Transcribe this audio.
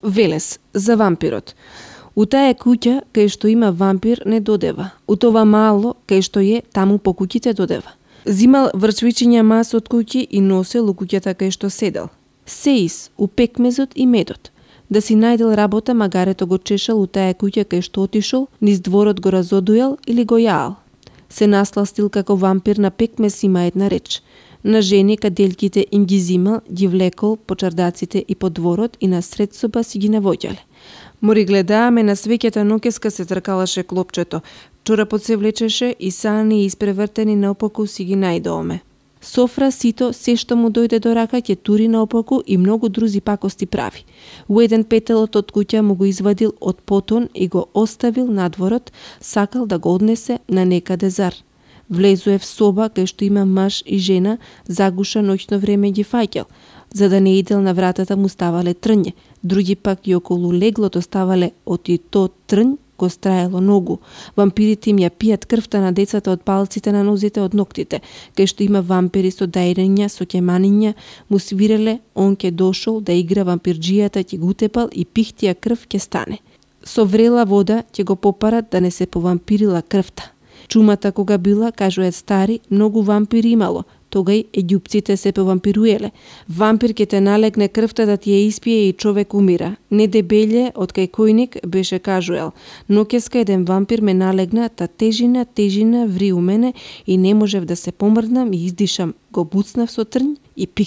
Велес за вампирот. У таа куќа кај што има вампир не додева. У това мало кај што е, таму по куќите додева. Зимал врчвичиња мас од куќи и носел у куќата кај што седел. Сеис у пекмезот и медот. Да си најдел работа, магарето го чешал у таа куќа кај што отишол, низ дворот го разодуел или го јаал. Се насластил како вампир на пекмез има една реч. На жени каделките им ги зимал, ги влекол по чардаците и по дворот и на сред соба си ги навоѓале. Мори гледааме на свеќата нокеска се тркалаше клопчето, чорапот се влечеше и сани испревртени наопаку си ги најдоме. Софра сито се што му дојде до рака ќе тури наопаку и многу друзи пакости прави. У еден петелот од куќа му го извадил од потон и го оставил надворот, сакал да го однесе на некаде зар. Влезуе в соба кај што има маж и жена, загуша ноќно време ги фаќал. За да не идел на вратата му ставале трње, други пак и околу леглото ставале оти то трњ го страело ногу. Вампирите им ја пијат крвта на децата од палците на нозите од ноктите. Кај што има вампири со дајрења, со ќеманиња, му свиреле, он ке дошол да игра вампирџијата, ќе го утепал и пихтија крв ке стане. Со врела вода ќе го попарат да не се повампирила крвта. Чумата кога била, кажуваат стари, многу вампири имало, тогај еѓупците се повампируеле. Вампир ке те налегне крвта да ти ја испие и човек умира. Не дебелје од кај којник беше кажуел. Ноќеска еден вампир ме налегна, та тежина ври у мене и не можев да се помрднам и издишам. Го буцнав со трњ и пих